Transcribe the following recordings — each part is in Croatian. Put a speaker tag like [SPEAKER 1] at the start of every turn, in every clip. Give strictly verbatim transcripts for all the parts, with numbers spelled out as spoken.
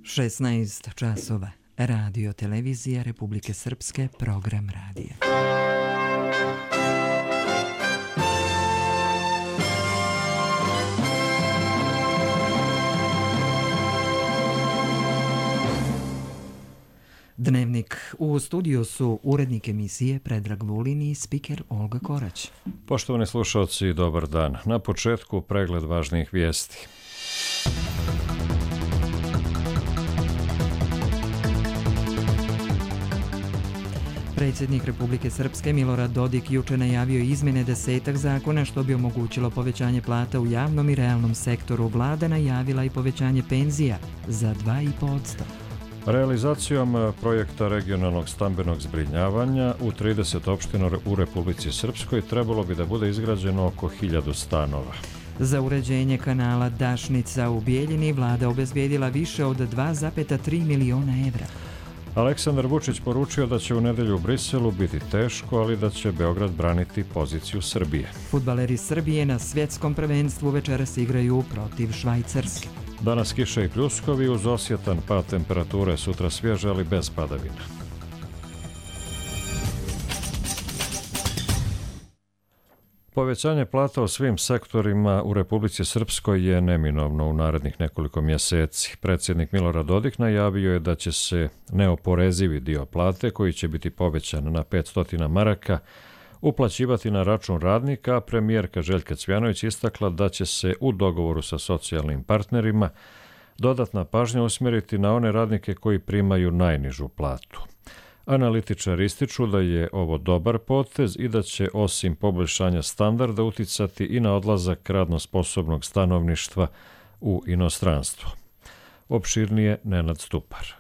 [SPEAKER 1] šesnaest časova. Radio Televizija Republike Srpske, program radija. Dnevnik. U studiju su urednik emisije Predrag Vulin i spiker Olga Korać.
[SPEAKER 2] Poštovani slušalci, dobar dan. Na početku pregled važnijih vijesti.
[SPEAKER 1] Predsjednik Republike Srpske Milorad Dodik juče najavio izmjene desetak zakona što bi omogućilo povećanje plata u javnom i realnom sektoru. Vlada najavila i povećanje penzija za dva i po posto.
[SPEAKER 2] Realizacijom projekta regionalnog stambenog zbrinjavanja u trideset opština u Republici Srpskoj trebalo bi da bude izgrađeno oko hiljadu stanova.
[SPEAKER 1] Za uređenje kanala Dašnica u Bijeljini vlada obezbijedila više od dva zarez tri miliona evra.
[SPEAKER 2] Aleksandar Vučić poručio da će u nedelju u Briselu biti teško, ali da će Beograd braniti poziciju Srbije.
[SPEAKER 1] Fudbaleri Srbije na svjetskom prvenstvu večeras igraju protiv Švajcarske.
[SPEAKER 2] Danas kiša i pljuskovi uz osjetan pad temperature, sutra svježe, ali bez padavina. Povećanje plata u svim sektorima u Republici Srpskoj je neminovno u narednih nekoliko mjeseci. Predsjednik Milorad Dodik najavio je da će se neoporezivi dio plate, koji će biti povećan na petsto maraka, uplaćivati na račun radnika, a premijerka Željka Cvjanović istakla da će se u dogovoru sa socijalnim partnerima dodatna pažnja usmjeriti na one radnike koji primaju najnižu platu. Analitičari ističu da je ovo dobar potez i da će osim poboljšanja standarda uticati i na odlazak radno sposobnog stanovništva u inostranstvo. Opširnije Nenad Stupar.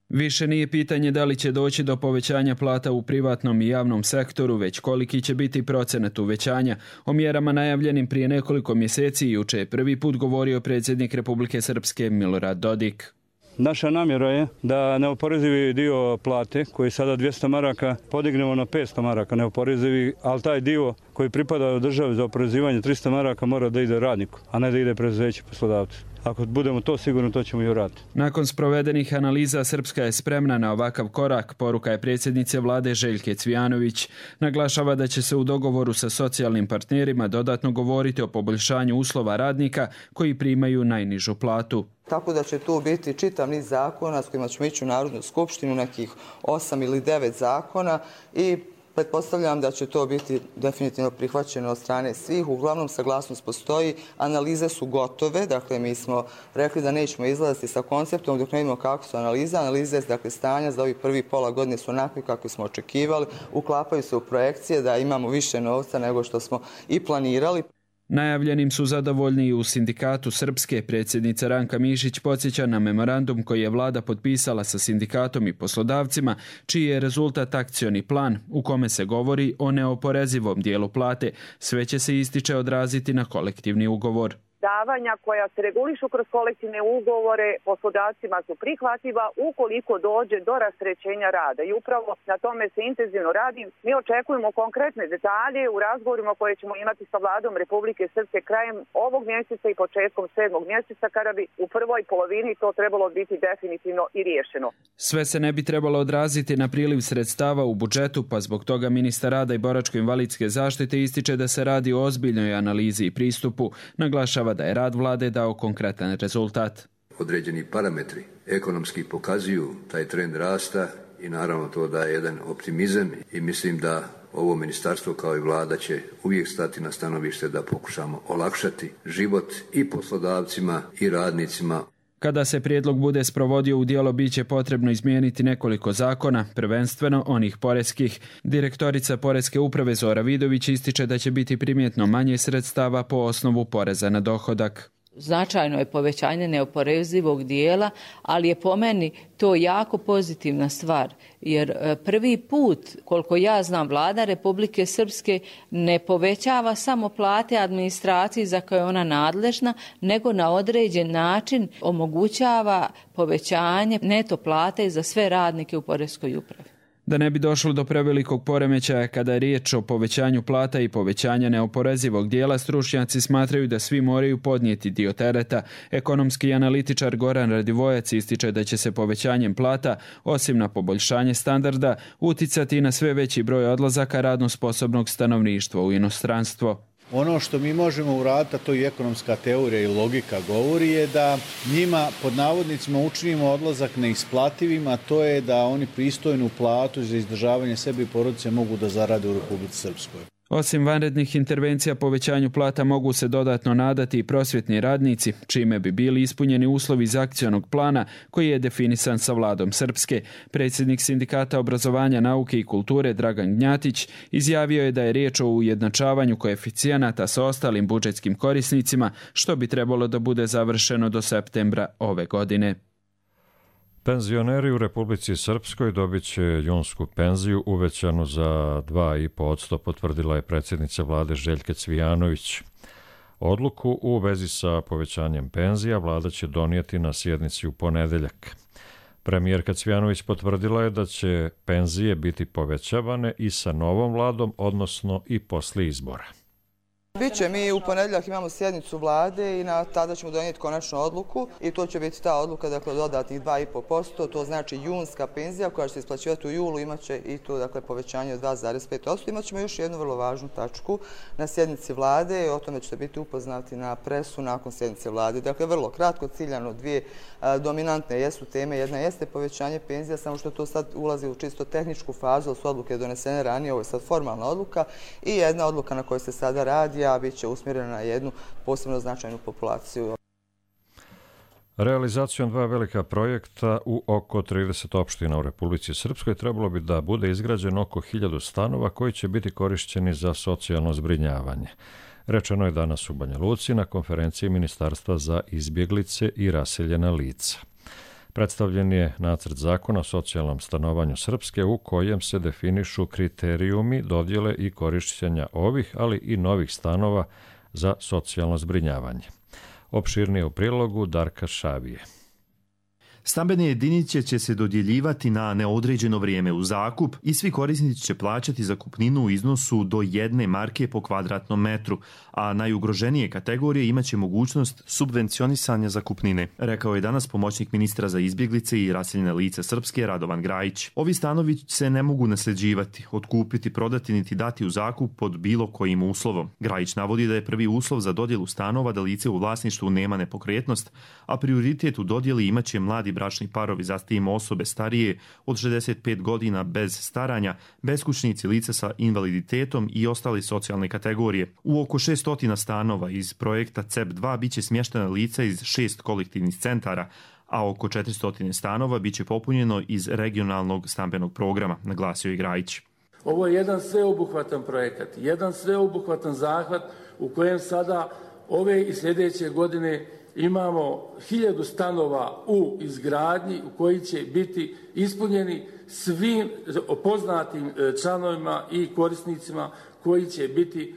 [SPEAKER 3] Više nije pitanje da li će doći do povećanja plata u privatnom i javnom sektoru, već koliki će biti procenat uvećanja. O mjerama najavljenim prije nekoliko mjeseci juče je prvi put govorio predsjednik Republike Srpske Milorad Dodik.
[SPEAKER 4] Naša namjera je da neoporezivi dio plate, koji je sada dvjesto maraka, podignemo na petsto maraka neoporezivi, ali taj dio koji pripada državi za oporezivanje tristo maraka mora da ide radniku, a ne da ide preduzeću poslodavcu. Ako budemo to sigurno, to ćemo i uraditi.
[SPEAKER 3] Nakon sprovedenih analiza, Srpska je spremna na ovakav korak, poruka je predsjednice vlade Željke Cvjanović. Naglašava da će se u dogovoru sa socijalnim partnerima dodatno govoriti o poboljšanju uslova radnika koji primaju najnižu platu.
[SPEAKER 5] Tako da će tu biti čitav niz zakona s kojima ćemo ići u Narodnu skupštinu, nekih osam ili devet zakona i pretpostavljam da će to biti definitivno prihvaćeno od strane svih. Uglavnom, saglasnost postoji, analize su gotove, dakle mi smo rekli da nećemo izlaziti sa konceptom dok ne vidimo kako su analize. Analize, dakle stanja za ovih prvi pola godine su onakvi kako smo očekivali, uklapaju se u projekcije da imamo više novca nego što smo i planirali.
[SPEAKER 3] Najavljenim su zadovoljni i u sindikatu Srpske. Predsjednica Ranka Mišić podsjeća na memorandum koji je vlada potpisala sa sindikatom i poslodavcima, čiji je rezultat akcioni plan u kome se govori o neoporezivom dijelu plate. Sve će se, ističe, odraziti na kolektivni ugovor.
[SPEAKER 6] Davanja koja se regulišu kroz kolektivne ugovore poslodavcima su prihvatljiva ukoliko dođe do rasterećenja rada. I upravo na tome se intenzivno radi. Mi očekujemo konkretne detalje u razgovorima koje ćemo imati sa vladom Republike Srpske krajem ovog mjeseca i početkom sedmog mjeseca, kada bi u prvoj polovini to trebalo biti definitivno i riješeno.
[SPEAKER 3] Sve se ne bi trebalo odraziti na priliv sredstava u budžetu, pa zbog toga ministar rada i boračko-invalidske zaštite ističe da se radi o ozbiljnoj analizi i pristupu. Naglašava da je rad vlade dao konkretan rezultat.
[SPEAKER 7] Određeni parametri ekonomski pokazuju taj trend rasta i naravno to daje jedan optimizam i mislim da ovo ministarstvo kao i vlada će uvijek stati na stanovište da pokušamo olakšati život i poslodavcima i radnicima.
[SPEAKER 3] Kada se prijedlog bude sprovodio u djelo, bit će potrebno izmijeniti nekoliko zakona, prvenstveno onih poreskih. Direktorica Poreske uprave Zora Vidović ističe da će biti primjetno manje sredstava po osnovu poreza na dohodak.
[SPEAKER 8] Značajno je povećanje neoporezivog dijela, ali je po meni to jako pozitivna stvar, jer prvi put, koliko ja znam, vlada Republike Srpske ne povećava samo plate administraciji za koje je ona nadležna, nego na određen način omogućava povećanje neto plate za sve radnike u Poreskoj upravi.
[SPEAKER 3] Da ne bi došlo do prevelikog poremećaja kada je riječ o povećanju plata i povećanja neoporezivog dijela, stručnjaci smatraju da svi moraju podnijeti dio tereta. Ekonomski analitičar Goran Radivojac ističe da će se povećanjem plata, osim na poboljšanje standarda, uticati na sve veći broj odlazaka radno sposobnog stanovništva u inostranstvo.
[SPEAKER 9] Ono što mi možemo uraditi, a to i ekonomska teorija i logika govori, je da njima pod navodnicima učinimo odlazak neisplativim, a to je da oni pristojnu platu za izdržavanje sebe i porodice mogu da zarade u Republici Srpskoj.
[SPEAKER 3] Osim vanrednih intervencija povećanju plata mogu se dodatno nadati i prosvjetni radnici, čime bi bili ispunjeni uslovi iz akcionog plana koji je definisan sa vladom Srpske. Predsjednik Sindikata obrazovanja, nauke i kulture Dragan Gnjatić izjavio je da je riječ o ujednačavanju koeficijenata sa ostalim budžetskim korisnicima, što bi trebalo da bude završeno do septembra ove godine.
[SPEAKER 2] Penzioneri u Republici Srpskoj dobit će junsku penziju uvećanu za dva i po posto, potvrdila je predsjednica vlade Željka Cvijanović. Odluku u vezi sa povećanjem penzija vlada će donijeti na sjednici u ponedeljak. Premijerka Cvijanović potvrdila je da će penzije biti povećavane i sa novom vladom, odnosno i poslije izbora.
[SPEAKER 5] Biće, mi u ponedjeljak imamo sjednicu vlade i na tada ćemo donijeti konačnu odluku i to će biti ta odluka, dakle, dodatnih dva i po posto, to znači junska penzija koja će se isplaćivati u julu, imaće i to, dakle, povećanje od dva zarez pet posto. Imaćemo još jednu vrlo važnu tačku na sjednici vlade i o tome ćete biti upoznati na presu nakon sjednice vlade. Dakle, vrlo kratko, ciljano, dvije a, dominantne jesu teme. Jedna jeste povećanje penzija, samo što to sad ulazi u čisto tehničku fazu, su odluke donesene ranije, ovo je sad formalna odluka, i jedna odluka na kojoj se sada radi, a bit će usmjerena na jednu posebno značajnu populaciju.
[SPEAKER 2] Realizacijom dva velika projekta u oko trideset opština u Republici Srpskoj trebalo bi da bude izgrađeno oko hiljadu stanova koji će biti korišćeni za socijalno zbrinjavanje. Rečeno je danas u Banja Luci na konferenciji Ministarstva za izbjeglice i raseljena lica. Predstavljen je nacrt zakona o socijalnom stanovanju Srpske u kojem se definišu kriterijumi dodjele i korišćenja ovih, ali i novih stanova za socijalno zbrinjavanje. Opširnije u prilogu Darka Šavije.
[SPEAKER 10] Stambene jedinice će se dodjeljivati na neodređeno vrijeme u zakup i svi korisnici će plaćati zakupninu u iznosu do jedne marke po kvadratnom metru, a najugroženije kategorije imaće mogućnost subvencionisanja zakupnine, rekao je danas pomoćnik ministra za izbjeglice i raseljene lice Srpske Radovan Grajić. Ovi stanovi se ne mogu nasljeđivati, otkupiti, prodati niti dati u zakup pod bilo kojim uslovom. Grajić navodi da je prvi uslov za dodjelu stanova da lice u vlasništvu nema nepokretnost, a prioritet u dodjeli imaće mladi bračni parovi, zatim osobe starije od šezdeset pet godina bez staranja, beskućnici, lice sa invaliditetom i ostale socijalne kategorije. U oko šessto stanova iz projekta C E P dva biće smještena lica iz šest kolektivnih centara, a oko četiristo stanova biće popunjeno iz regionalnog stambenog programa, naglasio je Grajić.
[SPEAKER 11] Ovo je jedan sveobuhvatan projekat, jedan sveobuhvatan zahvat u kojem sada ove i sljedeće godine imamo hiljadu stanova u izgradnji u koji će biti ispunjeni svim poznatim članovima i korisnicima koji će biti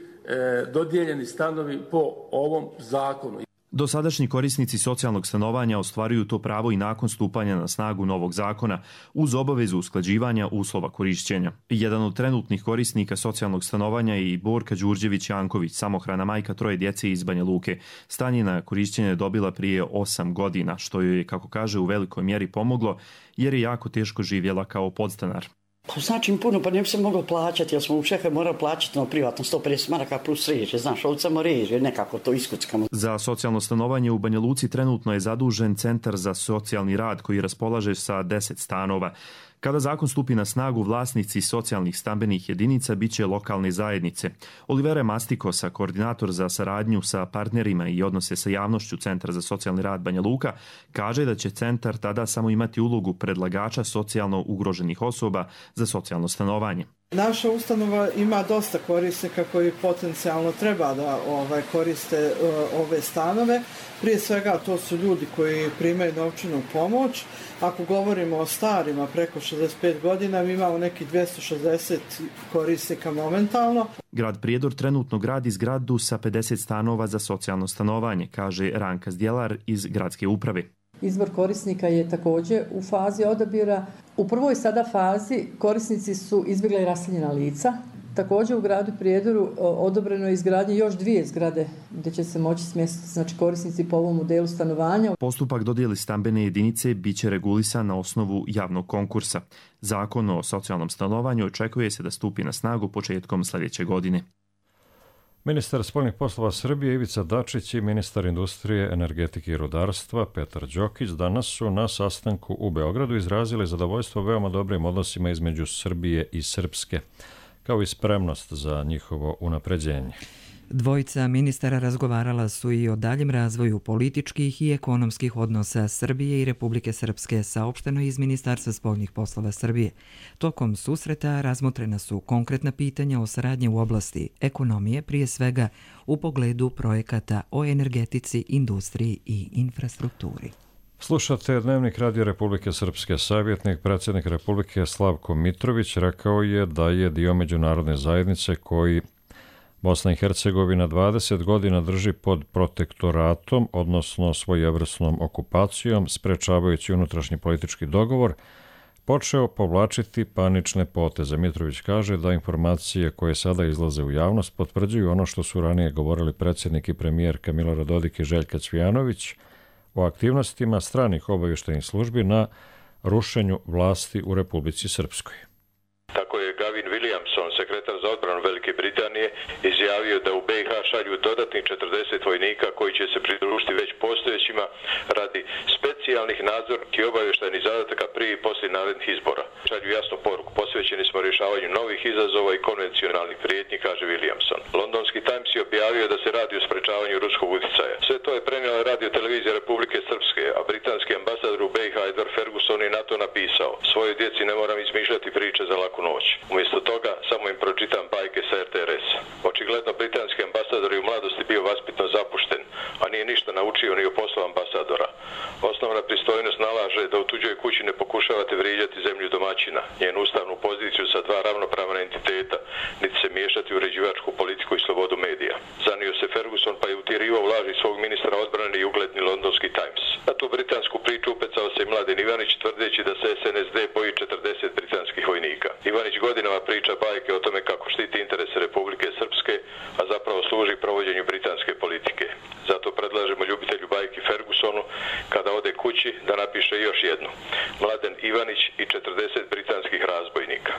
[SPEAKER 11] dodijeljeni stanovi po ovom zakonu.
[SPEAKER 10] Dosadašnji korisnici socijalnog stanovanja ostvaruju to pravo i nakon stupanja na snagu novog zakona uz obavezu usklađivanja uslova korišćenja. Jedan od trenutnih korisnika socijalnog stanovanja je i Borka Đurđević-Janković, samohrana majka troje djece iz Banja Luke. Stan je na korišćenje dobila prije osam godina, što joj je, kako kaže, u velikoj mjeri pomoglo jer je jako teško živjela kao podstanar.
[SPEAKER 12] Pa znači mi puno, pa ne bi se moglo plaćati, jer smo u Čehoj morali plaćati na privatno sto pedeset maraka plus reže, znaš, ovdje samo reže, nekako to iskuckamo.
[SPEAKER 10] Za socijalno stanovanje u Banja Luci trenutno je zadužen Centar za socijalni rad koji raspolaže sa deset stanova. Kada zakon stupi na snagu, vlasnici socijalnih stambenih jedinica bit će lokalne zajednice. Olivera Mastikosa, koordinator za saradnju sa partnerima i odnose sa javnošću Centra za socijalni rad Banja Luka, kaže da će centar tada samo imati ulogu predlagača socijalno ugroženih osoba za socijalno stanovanje.
[SPEAKER 13] Naša ustanova ima dosta korisnika koji potencijalno treba da ovaj, koriste uh, ove stanove. Prije svega to su ljudi koji primaju novčanu pomoć. Ako govorimo o starima preko šezdeset pet godina, mi imamo neki dvjesto šezdeset korisnika momentalno.
[SPEAKER 10] Grad Prijedor trenutno gradi zgradu sa pedeset stanova za socijalno stanovanje, kaže Ranka Zdjelar iz gradske uprave.
[SPEAKER 14] Izbor korisnika je također u fazi odabira. U prvoj sada fazi korisnici su izbjegla i raseljena lica. Također u gradu Prijedoru odobreno je izgradnje još dvije zgrade gdje će se moći smjestiti znači, korisnici po ovom modelu stanovanja.
[SPEAKER 10] Postupak dodjeli stambene jedinice bit će regulisan na osnovu javnog konkursa. Zakon o socijalnom stanovanju očekuje se da stupi na snagu početkom sljedeće godine.
[SPEAKER 2] Ministar spoljnih poslova Srbije Ivica Dačić i ministar industrije, energetike i rudarstva Petar Đokić danas su na sastanku u Beogradu izrazili zadovoljstvo veoma dobrim odnosima između Srbije i Srpske, kao i spremnost za njihovo unapređenje.
[SPEAKER 1] Dvojica ministara razgovarala su i o daljem razvoju političkih i ekonomskih odnosa Srbije i Republike Srpske, saopšteno iz Ministarstva spoljnih poslova Srbije. Tokom susreta razmotrena su konkretna pitanja o saradnji u oblasti ekonomije, prije svega u pogledu projekata o energetici, industriji i infrastrukturi.
[SPEAKER 2] Slušate Dnevnik Radio Republike Srpske. Savjetnik predsjednik Republike Slavko Mitrović rekao je da je dio međunarodne zajednice koji Bosna i Hercegovina dvadeset godina drži pod protektoratom, odnosno svojevrsnom okupacijom, sprečavajući unutrašnji politički dogovor, počeo povlačiti panične poteze. Mitrović kaže da informacije koje sada izlaze u javnost potvrđuju ono što su ranije govorili predsjednik i premijerka Milorad Dodik i Željka Cvijanović o aktivnostima stranih obavještajnih službi na rušenju vlasti u Republici Srpskoj.
[SPEAKER 15] Tako je Gavin Williamson, sekretar za odbranu Velike Britanije, izjavio da u B i H šalju dodatnih četrdeset vojnika koji će se pridružiti već postojećima radi specijalnih nadzornih i obavještajnih zadataka prije i poslije narednih izbora. Šalju jasnu poruku, posvećeni smo rješavanju novih izazova i konvencionalnih prijetnji, kaže Williamson. Londonski Times je objavio da se radi o sprečavanju ruskog utjecaja. Sve to je prenijela radio televizija Republike Srpske, a britanski ambasador u B i H Edward Ferguson je na to napisao: svojoj djeci ne moram izmišljati priče za laku noć. Umjesto toga samo im pročitam bajke sa R T R S. Očigledno britanski ambasador je u mladosti bio vaspitno zapušten, a nije ništa naučio ni o poslu ambasadora. Osnovna pristojnost nalaže da u tuđoj kući ne pokušavate vrijeđati zemlju domaćina, njenu ustavnu poziciju sa dva ravnopravna entiteta, niti se miješati u uređivačku politiku i slobodu medija. Zanio se Ferguson pa je utjerivao laži svog ministra odbrane i ugledni Londonski Times. Na tu britansku priču upecao se i Mladen Ivanić tvrdeći da se S N S D boji četrdeset britanskih vojnika. Ivanić godinama priča bajke o tome kako štiti interese Republike Srpske, a zapravo služi provođenju britanske politike. Zato predlažemo ljubitelju bajki Fergusonu, kada ode kući, da napiše još jednu: Mladen Ivanić i četrdeset britanskih razbojnika.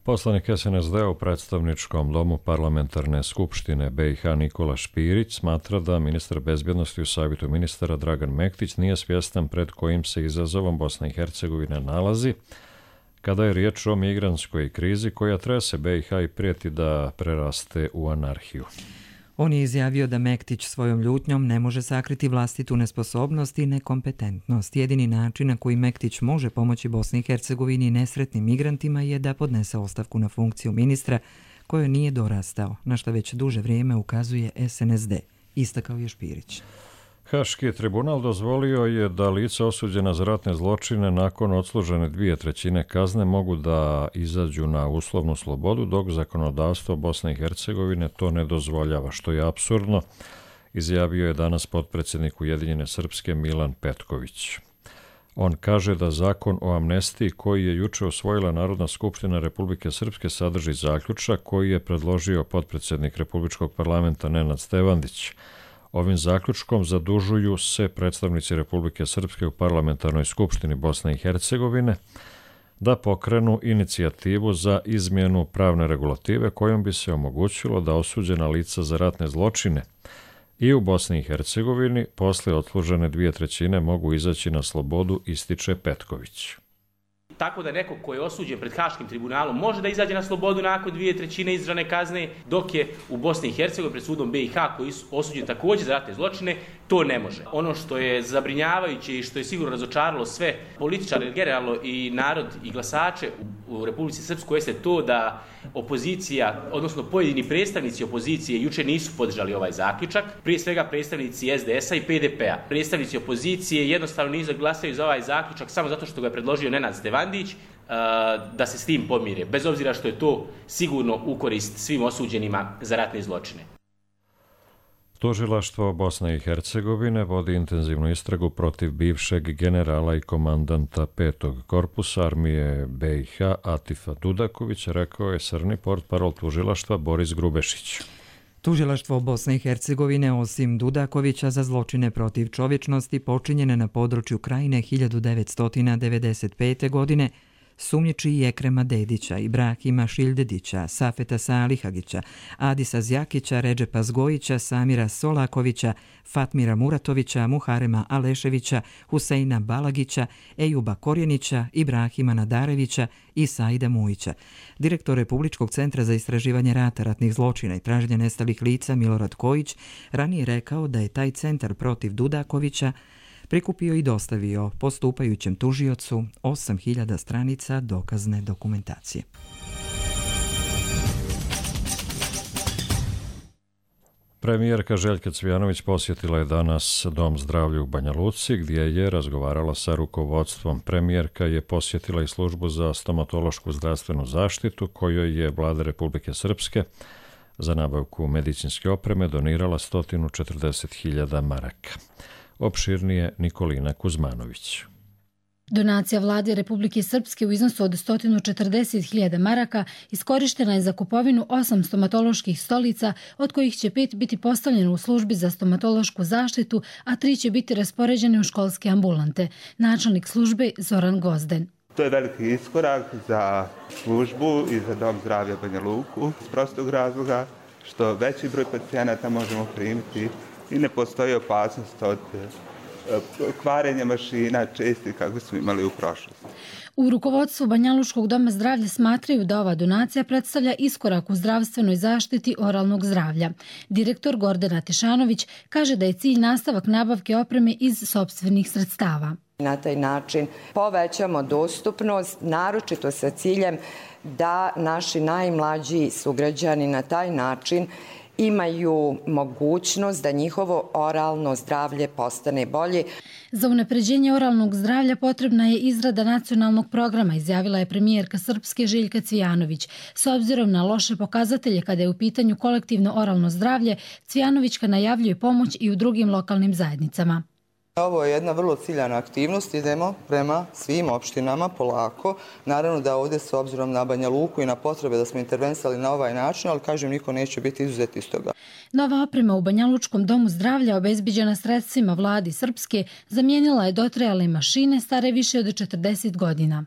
[SPEAKER 2] Poslanik S N S D u predstavničkom domu parlamentarne skupštine B i H Nikola Špirić smatra da ministar bezbjednosti u savjetu ministara Dragan Mektić nije svjestan pred kojim se izazovom Bosna i Hercegovina nalazi kada je riječ o migrantskoj krizi koja trese B i H i prijeti da preraste u anarhiju.
[SPEAKER 1] On je izjavio da Mektić svojom ljutnjom ne može sakriti vlastitu nesposobnost i nekompetentnost. Jedini način na koji Mektić može pomoći Bosni i Hercegovini i nesretnim migrantima je da podnese ostavku na funkciju ministra kojoj nije dorastao, na što već duže vrijeme ukazuje S N S D, istakao je Špirić.
[SPEAKER 2] Haški tribunal dozvolio je da lica osuđena za ratne zločine nakon odslužene dvije trećine kazne mogu da izađu na uslovnu slobodu, dok zakonodavstvo Bosne i Hercegovine to ne dozvoljava, što je apsurdno, izjavio je danas potpredsjednik Ujedinjene Srpske Milan Petković. On kaže da zakon o amnestiji koji je juče usvojila Narodna skupština Republike Srpske sadrži zaključak koji je predložio potpredsjednik Republičkog parlamenta Nenad Stevandić. Ovim zaključkom zadužuju se predstavnici Republike Srpske u parlamentarnoj skupštini Bosne i Hercegovine da pokrenu inicijativu za izmjenu pravne regulative kojom bi se omogućilo da osuđena lica za ratne zločine i u Bosni i Hercegovini posle odslužene dvije trećine mogu izaći na slobodu, ističe Petković.
[SPEAKER 16] Tako da neko ko je osuđen pred Haškim tribunalom može da izađe na slobodu nakon dvije trećine izdržane kazne, dok je u Bosni i Hercegovini pred sudom B i H koji su osuđeni također za ratne zločine, to ne može. Ono što je zabrinjavajuće i što je sigurno razočaralo sve političare generalno i narod i glasače u, u Republici Srpskoj jeste to da opozicija, odnosno pojedini predstavnici opozicije juče nisu podržali ovaj zaključak, prije svega predstavnici S D S-a i P D P-a. Predstavnici opozicije jednostavno nisu glasaju za ovaj zaključak samo zato što ga je predložio Nenad Stevandić, da se s tim pomire, bez obzira što je to sigurno u korist svim osuđenima za ratne zločine.
[SPEAKER 2] Tužilaštvo Bosne i Hercegovine vodi intenzivnu istragu protiv bivšeg generala i komandanta petog korpusa armije B i H Atifa Dudakovića, rekao je srni portparol tužilaštva Boris Grubešić.
[SPEAKER 1] Tužilaštvo Bosne i Hercegovine osim Dudakovića za zločine protiv čovječnosti počinjene na području Krajine hiljadu devetsto devedeset pete. godine sumnjiči i Ekrema Dedića, Ibrahima Šildedića, Safeta Salihagića, Adisa Zjakića, Redžepa Zgojića, Samira Solakovića, Fatmira Muratovića, Muharema Aleševića, Huseina Balagića, Ejuba Korjenića, Ibrahima Nadarevića i Saida Mujića. Direktor Republičkog centra za istraživanje rata, ratnih zločina i traženja nestalih lica Milorad Kojić ranije rekao da je taj centar protiv Dudakovića prikupio i dostavio postupajućem tužiocu osam hiljada stranica dokazne dokumentacije.
[SPEAKER 2] Premijerka Željka Cvijanović posjetila je danas Dom zdravlja u Banja Luci, gdje je razgovarala sa rukovodstvom. Premijerka je posjetila i službu za stomatološku zdravstvenu zaštitu, kojoj je vlada Republike Srpske za nabavku medicinske opreme donirala sto četrdeset hiljada maraka. Opširnije Nikolina Kuzmanović.
[SPEAKER 17] Donacija vlade Republike Srpske u iznosu od sto četrdeset hiljada maraka iskorištena je za kupovinu osam stomatoloških stolica, od kojih će pet biti postavljene u službi za stomatološku zaštitu, a tri će biti raspoređene u školske ambulante. Načelnik službe Zoran Gozden.
[SPEAKER 18] To je veliki iskorak za službu i za Dom zdravlja Banja Luku iz prostog razloga što veći broj pacijenata možemo primiti i ne postoji opasnost od kvarenja mašina česti kako smo imali u prošlosti.
[SPEAKER 17] U rukovodstvu Banjalučkog doma zdravlja smatraju da ova donacija predstavlja iskorak u zdravstvenoj zaštiti oralnog zdravlja. Direktor Gordana Tešanović kaže da je cilj nastavak nabavke opreme iz sopstvenih sredstava.
[SPEAKER 19] Na taj način povećamo dostupnost, naročito sa ciljem da naši najmlađi sugrađani na taj način imaju mogućnost da njihovo oralno zdravlje postane bolje.
[SPEAKER 17] Za unapređenje oralnog zdravlja potrebna je izrada nacionalnog programa, izjavila je premijerka Srpske Željka Cvijanović. S obzirom na loše pokazatelje kada je u pitanju kolektivno oralno zdravlje, Cvijanovićka najavljuje pomoć i u drugim lokalnim zajednicama.
[SPEAKER 5] Ovo je jedna vrlo ciljana aktivnost, idemo prema svim opštinama polako. Naravno da ovdje s obzirom na Banja Luku i na potrebe da smo intervensali na ovaj način, ali kažem niko neće biti izuzet iz toga.
[SPEAKER 17] Nova oprema u Banjalučkom domu zdravlja obezbiđena sredstvima vladi Srpske zamijenila je dotrajale mašine stare više od četrdeset godina.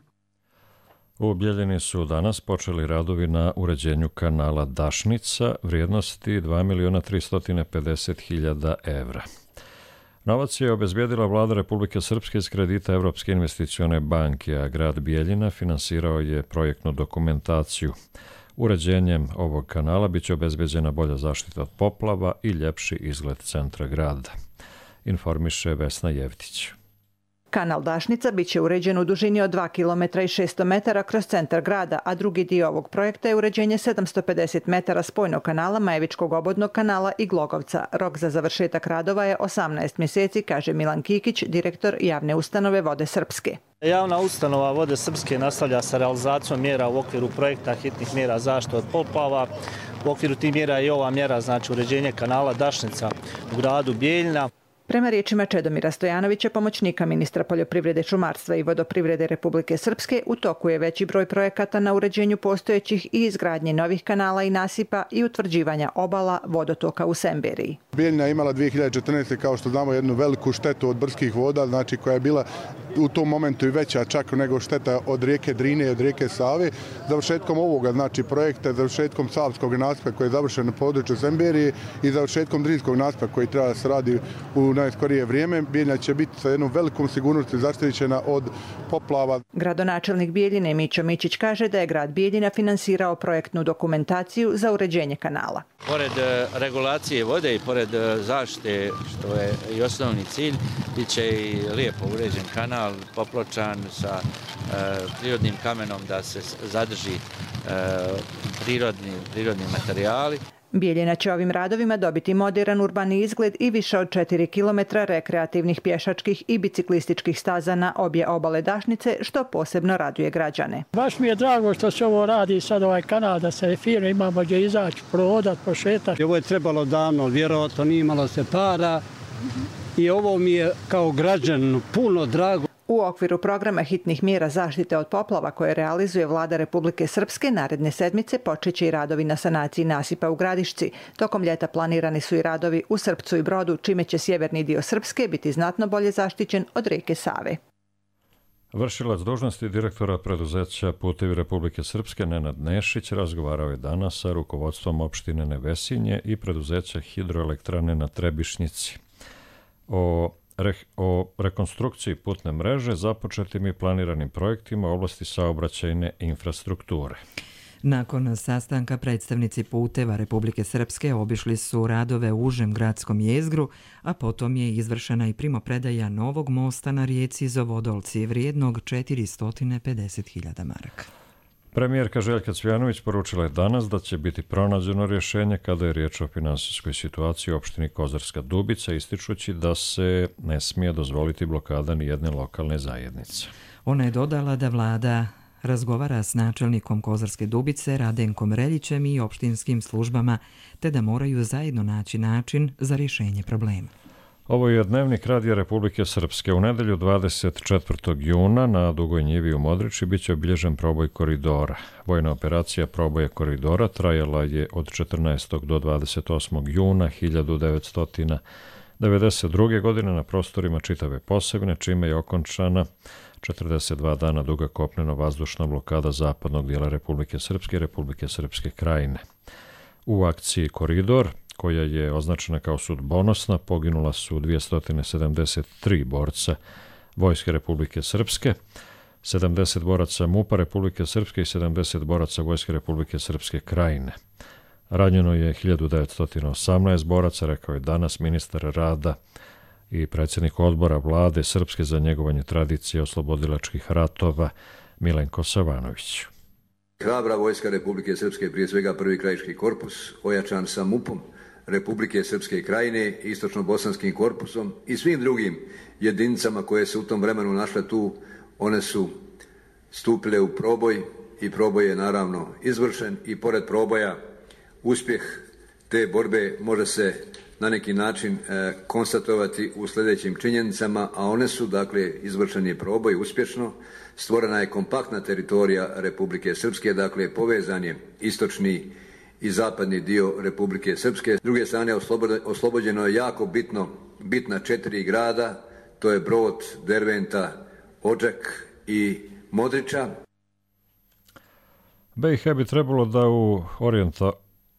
[SPEAKER 2] U Bjeljini su danas počeli radovi na uređenju kanala Dašnica vrijednosti dva miliona tristo pedeset hiljada evra. Novac je obezbijedila vlada Republike Srpske iz kredita Evropske investicione banke, a grad Bijeljina finansirao je projektnu dokumentaciju. Uređenjem ovog kanala biće obezbeđena bolja zaštita od poplava i ljepši izgled centra grada, informiše Vesna Jevtić.
[SPEAKER 20] Kanal Dašnica biće uređen u dužini od dva kilometra i šesto metara kroz centar grada, a drugi dio ovog projekta je uređenje sedamsto pedeset metara spojnog kanala, Majevičkog obodnog kanala i Glogovca. Rok za završetak radova je osamnaest mjeseci, kaže Milan Kikić, direktor javne ustanove Vode Srpske.
[SPEAKER 21] Javna ustanova Vode Srpske nastavlja sa realizacijom mjera u okviru projekta hitnih mjera zaštite od poplava. U okviru tih mjera je ova mjera, znači uređenje kanala Dašnica u gradu Bijeljina.
[SPEAKER 20] Prema riječima Čedomira Stojanovića, pomoćnika ministra poljoprivrede, šumarstva i vodoprivrede Republike Srpske, u toku je veći broj projekata na uređenju postojećih i izgradnji novih kanala i nasipa i utvrđivanja obala vodotoka u Semberiji.
[SPEAKER 22] Bijeljina je imala dvije hiljade četrnaeste. kao što znamo jednu veliku štetu od brdskih voda, znači koja je bila u tom momentu i veća čak nego šteta od rijeke Drine i od rijeke Save. Završetkom ovoga, znači projekta, završetkom Savskog nasipa koji je završen na području Semberije i završetkom Drinskog nasipa koji treba da se radi u najskorije vrijeme, Bijeljina će biti sa jednom velikom sigurnosti zaštićena od poplava.
[SPEAKER 20] Gradonačelnik Bijeljine Mićo Mićić kaže da je grad Bijeljina finansirao projektnu dokumentaciju za uređenje kanala.
[SPEAKER 23] Pored regulacije vode i pored zaštite, što je i osnovni cilj, bit će i lijepo uređen kanal, popločan sa e, prirodnim kamenom da se zadrži e, prirodni, prirodni materijali.
[SPEAKER 20] Bijeljina će ovim radovima dobiti modern urbani izgled i više od četiri kilometra rekreativnih pješačkih i biciklističkih staza na obje obale Dašnice, što posebno raduje građane.
[SPEAKER 4] Baš mi je drago što se ovo radi sad ovaj kanal, da se fino imamo gdje izaći, prodat, pošetati.
[SPEAKER 6] Ovo je trebalo davno, vjerojatno nije imalo se para i ovo mi je kao građan puno drago.
[SPEAKER 20] U okviru programa hitnih mjera zaštite od poplava koje realizuje Vlada Republike Srpske, naredne sedmice počeće i radovi na sanaciji nasipa u Gradišci. Tokom ljeta planirani su i radovi u Srpcu i Brodu, čime će sjeverni dio Srpske biti znatno bolje zaštićen od rijeke Save.
[SPEAKER 2] Vršilac dužnosti direktora preduzeća Putevi Republike Srpske Nenad Nešić razgovarao je danas sa rukovodstvom opštine Nevesinje i preduzeća Hidroelektrane na Trebišnjici o o rekonstrukciji putne mreže, započetim i planiranim projektima u oblasti saobraćajne infrastrukture.
[SPEAKER 1] Nakon sastanka predstavnici Puteva Republike Srpske obišli su radove u užem gradskom jezgru, a potom je izvršena i primopredaja novog mosta na rijeci Zovodolci vrijednog četiristo pedeset hiljada maraka.
[SPEAKER 2] Premijerka Željka Cvijanović poručila je danas da će biti pronađeno rješenje kada je riječ o finansijskoj situaciji u opštini Kozarska Dubica, ističući da se ne smije dozvoliti blokada ni jedne lokalne zajednice.
[SPEAKER 1] Ona je dodala da vlada razgovara s načelnikom Kozarske Dubice Radenkom Reljićem i opštinskim službama, te da moraju zajedno naći način za rješenje problema.
[SPEAKER 2] Ovo je Dnevnik Radija Republike Srpske. U nedelju dvadeset četvrtog juna na Dugoj njivi u Modriči biće obilježen proboj koridora. Vojna operacija proboja koridora trajala je od četrnaestog do dvadeset osmog juna hiljadu devetsto devedeset druge. godine na prostorima čitave Posavine, čime je okončana četrdeset dva dana duga kopneno-vazdušna blokada zapadnog dijela Republike Srpske i Republike Srpske krajine. U akciji Koridor, koja je označena kao sudbonosna, poginula su dvjesto sedamdeset tri borca Vojske Republike Srpske, sedamdeset boraca MUP-a Republike Srpske i sedamdeset boraca Vojske Republike Srpske krajine. Ranjeno je hiljadu devetsto osamnaest boraca, rekao je danas ministar rada i predsjednik odbora vlade Srpske za njegovanje tradicije oslobodilačkih ratova Milenko Savanović.
[SPEAKER 7] Hrabra Vojska Republike Srpske, prije svega prvi krajiški korpus, ojačan sa MUP-om Republike Srpske krajine, istočno-bosanskim korpusom i svim drugim jedinicama koje se u tom vremenu našle tu, one su stupile u proboj i proboj je naravno izvršen i pored proboja uspjeh te borbe može se na neki način e, konstatovati u sljedećim činjenicama, a one su, dakle, izvršen je proboj uspješno, stvorena je kompaktna teritorija Republike Srpske, dakle, povezan je istočni i zapadni dio Republike Srpske. S druge strane, oslobođeno je jako bitno, bitna četiri grada, to je Brod, Derventa, Odžak i Modriča.
[SPEAKER 2] B i H bi trebalo da u orijenta,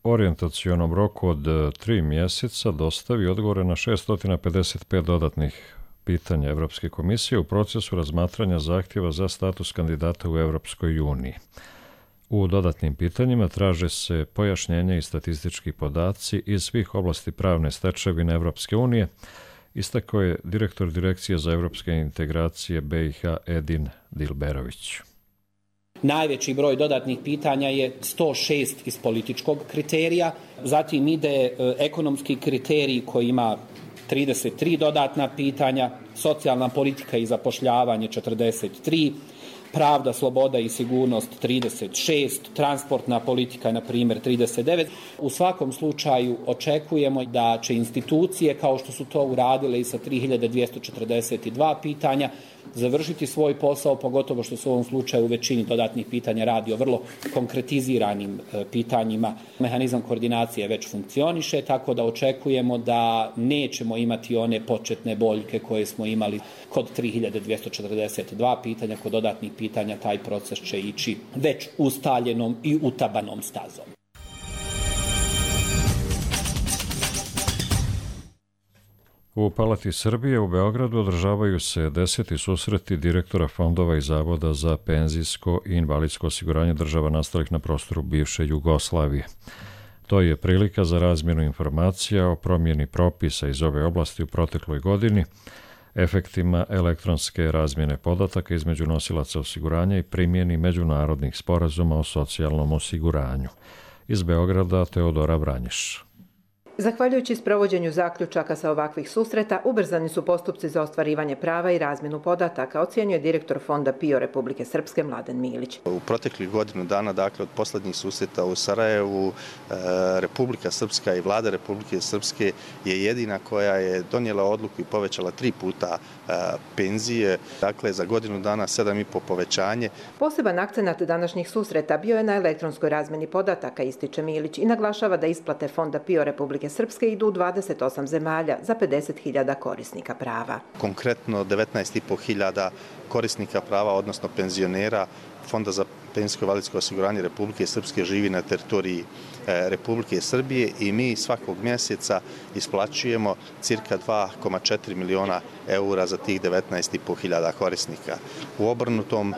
[SPEAKER 2] orijentacionom roku od tri mjeseca dostavi odgovore na šesto pedeset pet dodatnih pitanja Evropske komisije u procesu razmatranja zahtjeva za status kandidata u Evropskoj uniji. U dodatnim pitanjima traže se pojašnjenja i statistički podaci iz svih oblasti pravne stečevine Evropske unije, istakao je direktor Direkcije za evropske integracije B i H Edin Dilberović.
[SPEAKER 24] Najveći broj dodatnih pitanja je sto šest iz političkog kriterija, zatim ide ekonomski kriterij koji ima trideset tri dodatna pitanja, socijalna politika i zapošljavanje četrdeset tri, pravda, sloboda i sigurnost trideset šest, transportna politika na primjer trideset devet. U svakom slučaju očekujemo da će institucije kao što su to uradile i sa tri hiljade dvjesto četrdeset dva pitanja završiti svoj posao, pogotovo što se u ovom slučaju u većini dodatnih pitanja radi o vrlo konkretiziranim e, pitanjima. Mehanizam koordinacije već funkcioniše, tako da očekujemo da nećemo imati one početne boljke koje smo imali kod tri hiljade dvjesto četrdeset dva pitanja. Kod dodatnih pitanja taj proces će ići već ustaljenom i utabanom stazom.
[SPEAKER 2] U Palati Srbije u Beogradu održavaju se deseti susreti direktora fondova i zavoda za penzijsko i invalidsko osiguranje država nastalih na prostoru bivše Jugoslavije. To je prilika za razmjenu informacija o promjeni propisa iz ove oblasti u protekloj godini, efektima elektronske razmjene podataka između nosilaca osiguranja i primjeni međunarodnih sporazuma o socijalnom osiguranju. Iz Beograda Teodora Vranješ.
[SPEAKER 20] Zahvaljujući sprovođenju zaključaka sa ovakvih susreta, ubrzani su postupci za ostvarivanje prava i razmjenu podataka, ocjenjuje direktor Fonda P I O Republike Srpske Mladen Milić.
[SPEAKER 3] U proteklih godinu dana, dakle od posljednjih susreta u Sarajevu, Republika Srpska i vlada Republike Srpske je jedina koja je donijela odluku i povećala tri puta penzije, dakle za godinu dana sedam i po povećanje.
[SPEAKER 20] Poseban akcenat današnjih susreta bio je na elektronskoj razmjeni podataka, ističe Milić, i naglašava da isplate Fonda P I O Republike Srpske idu u dvadeset osam zemalja za pedeset hiljada korisnika prava.
[SPEAKER 3] Konkretno devetnaest i po hiljada korisnika prava, odnosno penzionera Fonda za penzijsko i invalidsko osiguranje Republike Srpske živi na teritoriji Republike Srbije i mi svakog mjeseca isplaćujemo cirka dva zarez četiri miliona eura za tih devetnaest i po hiljada korisnika. U obrnutom e,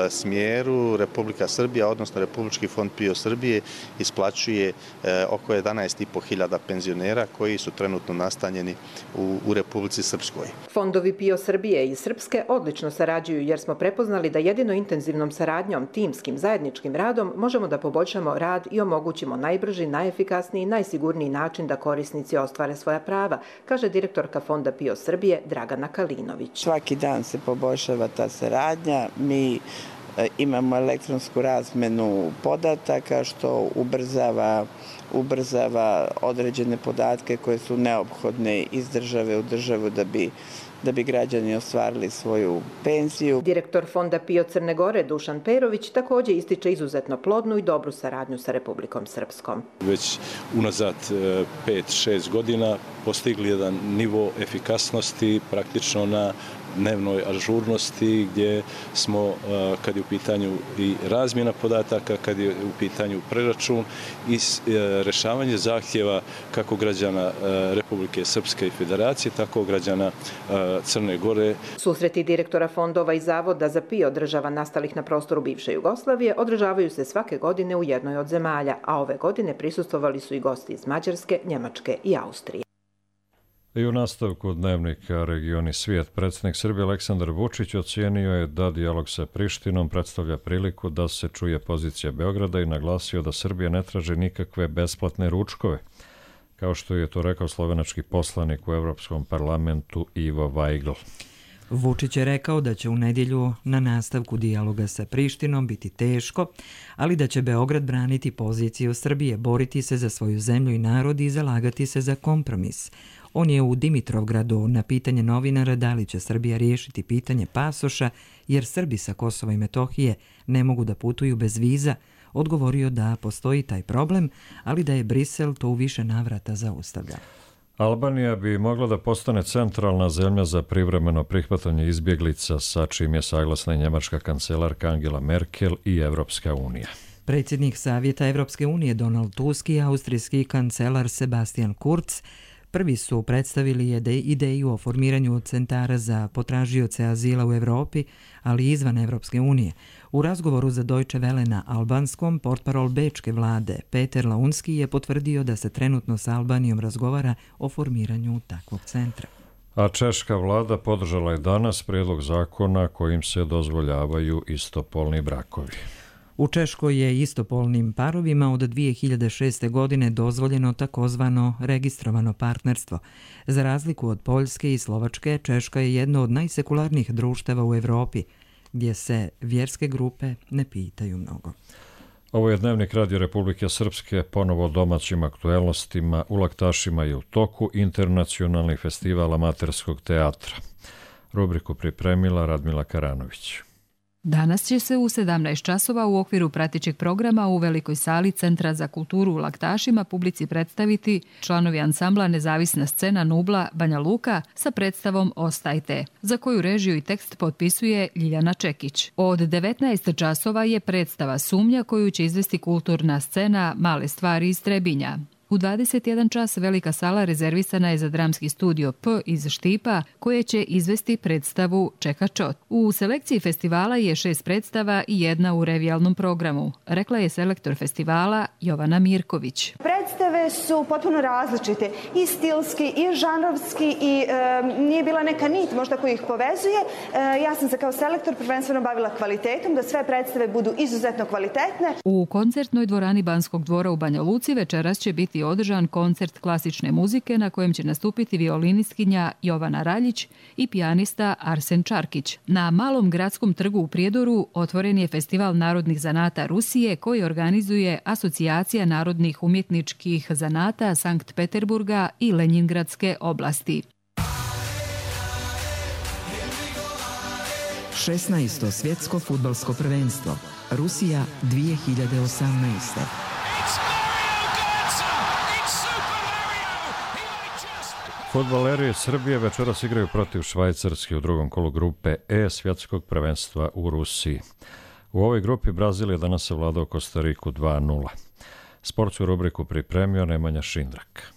[SPEAKER 3] smjeru Republika Srbija, odnosno Republički fond P I O Srbije, isplaćuje e, oko jedanaest i po hiljada penzionera koji su trenutno nastanjeni u, u Republici Srpskoj.
[SPEAKER 20] Fondovi P I O Srbije i Srpske odlično sarađuju jer smo prepoznali da jedino intenzivnom saradnjom, timskim, zajedničkim radom možemo da poboljšamo rad i omogućimo najbrži, najefikasniji i najsigurniji način da korisnici ostvare svoja prava, kaže direktorka Fonda P I O Srbije Dragana Kalinović.
[SPEAKER 8] Svaki dan se poboljšava ta saradnja. Mi imamo elektronsku razmenu podataka što ubrzava, ubrzava određene podatke koje su neophodne iz države u državu da bi da bi građani ostvarili svoju penziju.
[SPEAKER 20] Direktor Fonda P I O Crne Gore Dušan Perović također ističe izuzetno plodnu i dobru saradnju sa Republikom Srpskom.
[SPEAKER 9] Već unazad pet šest godina postigli jedan nivo efikasnosti praktično na dnevnoj ažurnosti gdje smo, kad je u pitanju i razmjena podataka, kad je u pitanju preračun i rješavanje zahtjeva kako građana Republike Srpske i Federacije, tako građana Crne Gore.
[SPEAKER 20] Susreti direktora fondova i zavoda za P I O država nastalih na prostoru bivše Jugoslavije održavaju se svake godine u jednoj od zemalja, a ove godine prisustvovali su i gosti iz Mađarske, Njemačke i Austrije.
[SPEAKER 2] I u nastavku dnevnika Regioni svijet, predsjednik Srbije Aleksandar Vučić ocijenio je da dijalog sa Prištinom predstavlja priliku da se čuje pozicija Beograda i naglasio da Srbija ne traži nikakve besplatne ručkove, kao što je to rekao slovenački poslanik u Evropskom parlamentu Ivo Vajgl.
[SPEAKER 1] Vučić je rekao da će u nedjelju na nastavku dijaloga sa Prištinom biti teško, ali da će Beograd braniti poziciju Srbije, boriti se za svoju zemlju i narod i zalagati se za kompromis. On je u Dimitrovgradu na pitanje novinara da li će Srbija riješiti pitanje pasoša jer Srbi sa Kosova i Metohije ne mogu da putuju bez viza, odgovorio da postoji taj problem, ali da je Brisel to u više navrata zaustavlja.
[SPEAKER 2] Albanija bi mogla da postane centralna zemlja za privremeno prihvatanje izbjeglica, sa čim je saglasna i njemačka kancelarka Angela Merkel i Evropska unija.
[SPEAKER 1] Predsjednik Savjeta Evropske unije Donald Tusk i austrijski kancelar Sebastian Kurz prvi su predstavili ideju o formiranju centara za potražioce azila u Evropi, ali i izvan Evropske unije. U razgovoru za Deutsche Welle na albanskom, portparol bečke vlade Peter Launski je potvrdio da se trenutno sa Albanijom razgovara o formiranju takvog centra.
[SPEAKER 2] A češka vlada podržala je danas prijedlog zakona kojim se dozvoljavaju istopolni brakovi.
[SPEAKER 1] U Češkoj je istopolnim parovima od dvije hiljade šeste. godine dozvoljeno takozvano registrovano partnerstvo. Za razliku od Poljske i Slovačke, Češka je jedno od najsekularnijih društava u Evropi, gdje se vjerske grupe ne pitaju mnogo.
[SPEAKER 2] Ovo je dnevnik Radio Republike Srpske, ponovo o domaćim aktuelnostima. U Laktašima je u toku internacionalni festival amaterskog teatra. Rubriku pripremila Radmila Karanović.
[SPEAKER 11] Danas će se u sedamnaest časova u okviru pratećeg programa u velikoj sali Centra za kulturu u Laktašima publici predstaviti članovi ansambla Nezavisna scena Nubla Banja Luka sa predstavom Ostajte, za koju režiju i tekst potpisuje Ljiljana Čekić. Od devetnaest časova je predstava Sumnja koju će izvesti kulturna scena Male stvari iz Trebinja. U dvadeset jedan čas velika sala rezervisana je za dramski studio P iz Štipa, koje će izvesti predstavu Čeka Čot. U selekciji festivala je šest predstava i jedna u revijalnom programu, rekla je selektor festivala Jovana Mirković.
[SPEAKER 25] Predstave
[SPEAKER 10] koje su potpuno različite i stilski i žanrovski i e, nije bila neka nit možda koja ih povezuje. E, ja sam se kao selektor prvenstveno bavila kvalitetom, da sve predstave budu izuzetno kvalitetne.
[SPEAKER 11] U koncertnoj dvorani Banskog dvora u Banja Luci večeras će biti održan koncert klasične muzike na kojem će nastupiti violinistkinja Jovana Raljić i pijanista Arsen Čarkić. Na Malom gradskom trgu u Prijedoru otvoren je Festival narodnih zanata Rusije koji organizuje Asocijacija narodnih umjetničkih zanata Sankt Peterburga i Lenjingradske oblasti.
[SPEAKER 1] šesnaesto svjetsko fudbalsko prvenstvo Rusija dvije hiljade osamnaeste.
[SPEAKER 2] Fudbaleri Srbije večeras igraju protiv Švajcarske u drugom kolu grupe E svjetskog prvenstva u Rusiji. U ovoj grupi Brazil je danas savladao Kostariku dva nula. Sportsku rubriku pripremio Nemanja Šindrak.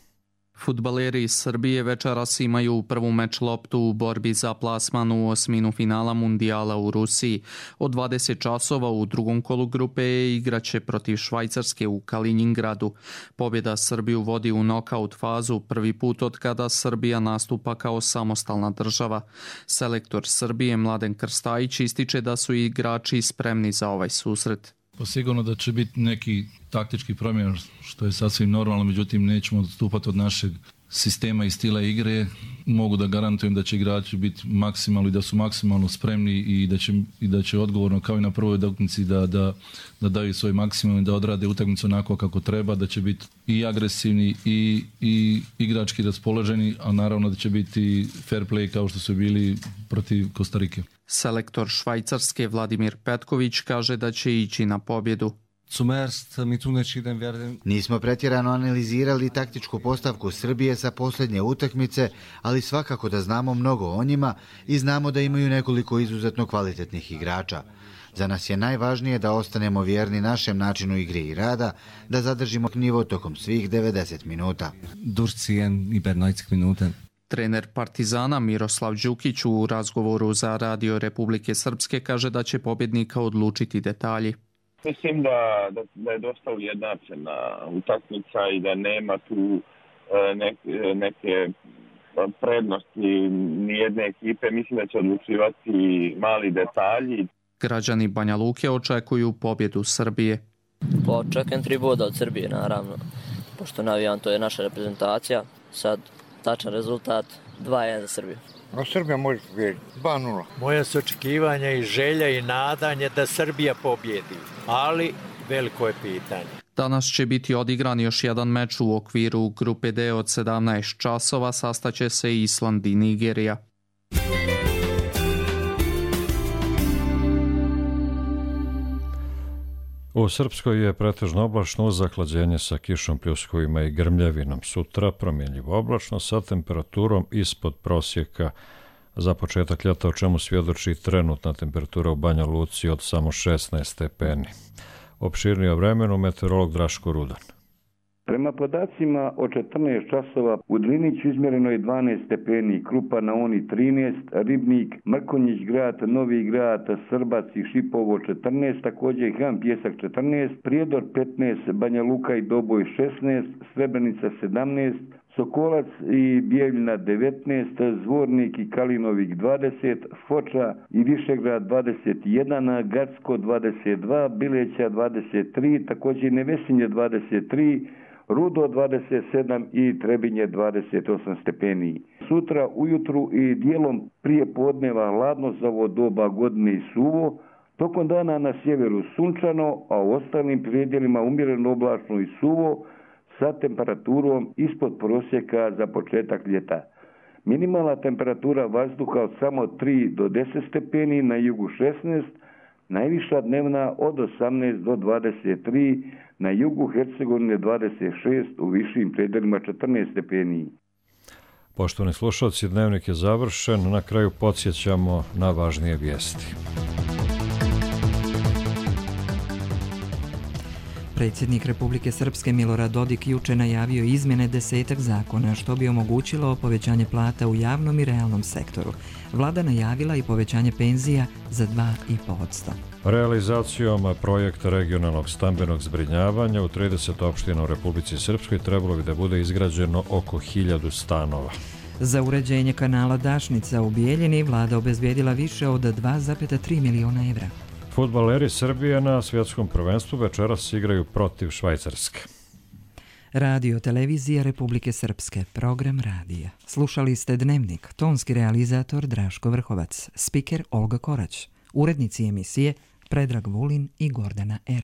[SPEAKER 12] Fudbaleri iz Srbije večeras imaju prvu meč loptu u borbi za plasman u osminu finala mundijala u Rusiji. Od dvadeset časova u drugom kolu grupe E igraće protiv Švajcarske u Kaliningradu. Pobjeda Srbiju vodi u nokaut fazu prvi put od kada Srbija nastupa kao samostalna država. Selektor Srbije Mladen Krstajić ističe da su igrači spremni za ovaj susret.
[SPEAKER 13] Pa sigurno da će biti neki taktički promjen, što je sasvim normalno, međutim nećemo odstupati od našeg sistema i stila igre. Mogu da garantujem da će igrači biti maksimalno i da su maksimalno spremni i da će, i da će odgovorno kao i na prvoj utakmici da, da, da daju svoj maksimum i da odrade utakmicu onako kako treba, da će biti i agresivni i, i igrački raspoloženi, a naravno da će biti fair play kao što su bili protiv Kostarike.
[SPEAKER 12] Selektor Švajcarske Vladimir Petković kaže da će ići na pobjedu.
[SPEAKER 14] Nismo pretjerano analizirali taktičku postavku Srbije sa posljednje utakmice, ali svakako da znamo mnogo o njima i znamo da imaju nekoliko izuzetno kvalitetnih igrača. Za nas je najvažnije da ostanemo vjerni našem načinu igre i rada, da zadržimo nivo tokom svih devedeset minuta.
[SPEAKER 12] Trener Partizana Miroslav Đukić u razgovoru za Radio Republike Srpske kaže da će pobjednika odlučiti detalji.
[SPEAKER 25] Mislim da, da, da je dosta ujednačena utakmica i da nema tu neke, neke prednosti nijedne ekipe. Mislim da će odlučivati mali detalji.
[SPEAKER 12] Građani Banja Luke očekuju pobjedu Srbije.
[SPEAKER 26] Pa očekujem tri boda od Srbije, naravno. Pošto navijam, to je naša reprezentacija. Sad tačan rezultat dva jedan za Srbiju.
[SPEAKER 27] No, Srbija može pobjediti dva nula.
[SPEAKER 28] Moje su očekivanja i želja i nadanje da Srbija pobjedi, ali veliko je pitanje.
[SPEAKER 12] Danas će biti odigran još jedan meč u okviru grupe D od sedamnaest časova, sastaće se Island i Nigerija.
[SPEAKER 2] U Srpskoj je pretežno oblačno uz zahlađenje sa kišom, pljuskovima i grmljavinom. Sutra promjenljivo oblačno sa temperaturom ispod prosjeka za početak ljeta, o čemu svjedoči trenutna temperatura u Banja Luci od samo šesnaest stepeni. Opširnije o vremenu meteorolog Draško Rudan.
[SPEAKER 29] Prema podacima od četrnaest časova u Driniću izmjereno je dvanaest stepeni, Krupa na Oni trinaest, Ribnik, Mrkonjić grad, Novi grad, Srbac i Šipovo četrnaest, također Han Pjesak četrnaest, Prijedor petnaest, Banja Luka i Doboj šesnaest, Srebrenica sedamnaest, Sokolac i Bijeljina devetnaest, Zvornik i Kalinovik dvadeset, Foča i Višegrad dvadeset jedan, Gacko dvadeset dva, Bileća dvadeset tri, također Nevesinje dvadeset tri, Rudo dvadeset sedam i Trebinje dvadeset osam stepeni. Sutra ujutru i dijelom prije podneva hladno za ovo doba godine i suvo, tokom dana na sjeveru sunčano, a u ostalim predjelima umjereno oblačno i suvo, sa temperaturom ispod prosjeka za početak ljeta. Minimalna temperatura vazduha od samo tri do deset stepeni, na jugu šesnaest, najviša dnevna od osamnaest do dvadeset tri, na jugu Hercegovine dvadeset šest, u višim predjelima četrnaest stepeni.
[SPEAKER 2] Poštovani slušalci, dnevnik je završen. Na kraju podsjećamo na važnije vijesti.
[SPEAKER 1] Predsjednik Republike Srpske Milorad Dodik juče najavio izmjene desetak zakona što bi omogućilo povećanje plata u javnom i realnom sektoru. Vlada najavila i povećanje penzija za dva i po posto.
[SPEAKER 2] Realizacijom projekta regionalnog stambenog zbrinjavanja u trideset opština u Republici Srpskoj trebalo bi da bude izgrađeno oko hiljadu stanova.
[SPEAKER 1] Za uređenje kanala Dašnica u Bijeljini vlada obezbijedila više od dva zarez tri miliona evra.
[SPEAKER 2] Fudbaleri Srbije na svjetskom prvenstvu večeras igraju protiv Švajcarske.
[SPEAKER 1] Radio televizija Republike Srpske, program radija. Slušali ste Dnevnik, tonski realizator Draško Vrhovac, spiker Olga Korać, urednici emisije Predrag Vulin i Gordana Er.